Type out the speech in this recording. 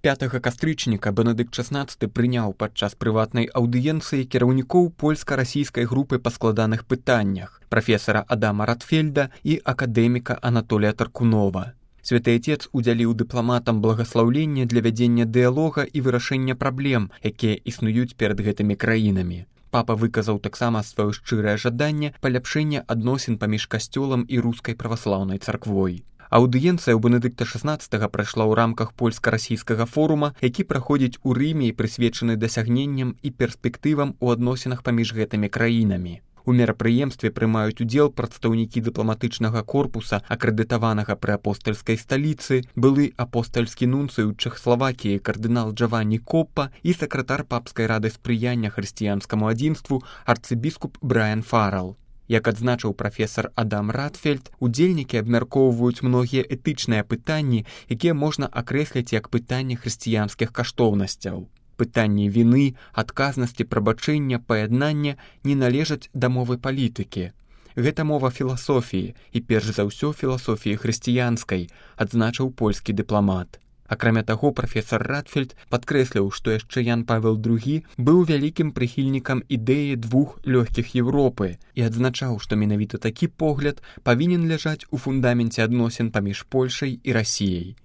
5 кастрычніка Бенедыкт XVI прыняў падчас прыватнай аўдыенцыі кіраўнікоў польска-расійскай групы па складаных пытаннях прафесара Адама Ратфельда і акадэміка Анатолія Таркунова. Святы Отец удзяліў дыпламатам благаслаўленне для вядзення дыялога і вырашэння праблем, якія існуюць перад гэтымі краінамі. Папа выказаў таксама сваё шчырае жаданне паляпшэння адносін паміж касцёлам і рускай праваслаўнай царквой. Аўдыенцыя ў Бенедыкта XVI прайшла ў рамках польска-расійскага форума, які праходзіць у Рыме і прысвечаны дасягненням і перспектывам у адносінах паміж гэтымі краінамі. У мерапрыемстве прымаюць удзел прадстаўнікі дыпламатычнага корпуса, акрэдытаванага пры апостальскай сталіцы, былы апостальскі нунцый у Чэхаславакіі кардынал Джаванні Коппа і сакратар папскай рады спрыяння хрысціянскаму адзінству арцыбіскуп Брайан Фаррелл. Як адзначыў прафесар Адам Ратфельд, удзельнікі абмяркоўваюць многія этычныя пытанні, якія можна акрэсліць як пытанні хрысціянскіх каштоўнасцяў. Пытанні віны, адказнасці, прабачэння, паяднання не належаць да мовы палітыкі. Гэта мова філасофіі і перш за ўсё філасофіі хрысціянскай, адзначыў польскі дыпламат. Акрамя таго, прафесар Ратфельд падкрэсліў, што яшчэ Ян Павел II быў вялікім прыхільнікам ідэі двух лёгкіх Еўропы і адзначаў, што менавіта такі погляд павінен ляжаць у фундаменце адносін паміж Польшай і Расіяй.